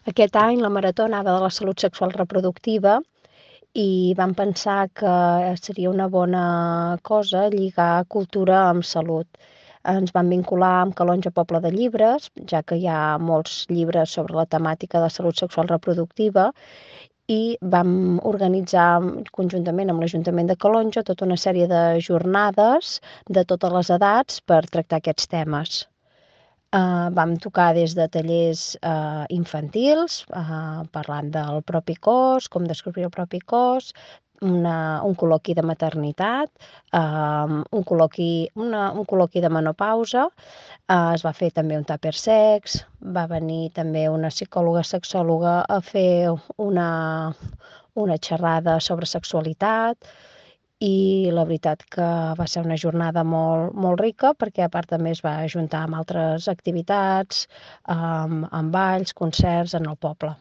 Aquest any la marató anava de la salut sexual reproductiva i vam pensar que seria una bona cosa lligar cultura amb salut. Ens vam vincular amb Calonge Poble de Llibres, ja que hi ha molts llibres sobre la temàtica de salut sexual reproductiva, i vam organitzar conjuntament amb l'Ajuntament de Calonge tota una sèrie de jornades de totes les edats per tractar aquests temes. Vam tocar des de tallers infantils, parlant del propi cos, com descobrir el propi cos, un col·loqui de maternitat, un col·loqui de menopausa, es va fer també un tàper sex, va venir també una psicòloga sexòloga a fer una xerrada sobre sexualitat, i la veritat que va ser una jornada molt, molt rica perquè a part també es va ajuntar amb altres activitats, amb balls, concerts en el poble.